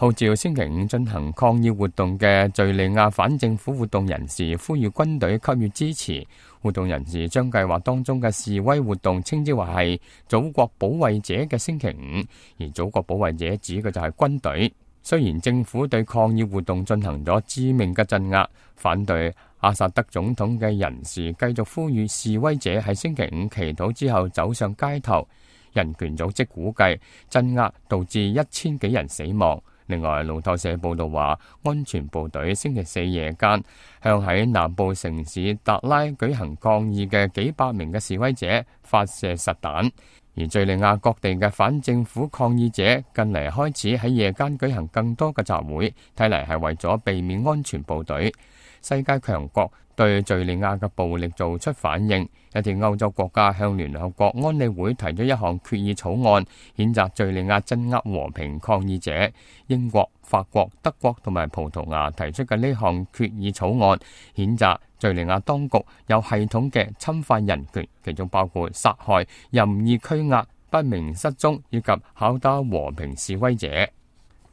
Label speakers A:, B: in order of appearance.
A: 號召星期五進行抗議活動嘅敘利亞反政府活動人士呼籲軍隊給予支持。活動人士將計劃當中嘅示威活動稱之為係祖國保衛者嘅星期五，而祖國保衛者指嘅就係軍隊。雖然政府對抗議活動進行咗致命嘅鎮壓，反對阿薩德總統嘅人士繼續呼籲示威者喺星期五祈禱之後走上街頭。人權組織估計鎮壓導致1000幾人死亡。另外，路透社報道話，安全部隊星期四夜間向喺南部城市達拉舉行抗議嘅幾百名嘅示威者發射實彈。而敘利亞各地嘅反政府抗議者近嚟開始喺夜間舉行更多嘅集會，睇嚟係為咗避免安全部隊。世界強國對敘利亞嘅暴力做出反應，一啲歐洲國家向聯合國安理會提咗一項決議草案，譴責敘利亞鎮壓和平抗議者。英國、法國、德國同埋葡萄牙提出嘅呢項決議草案，譴責敘利亞當局有系統嘅侵犯人權，其中包括殺害、任意拘押、不明失蹤以及拷打和平示威者。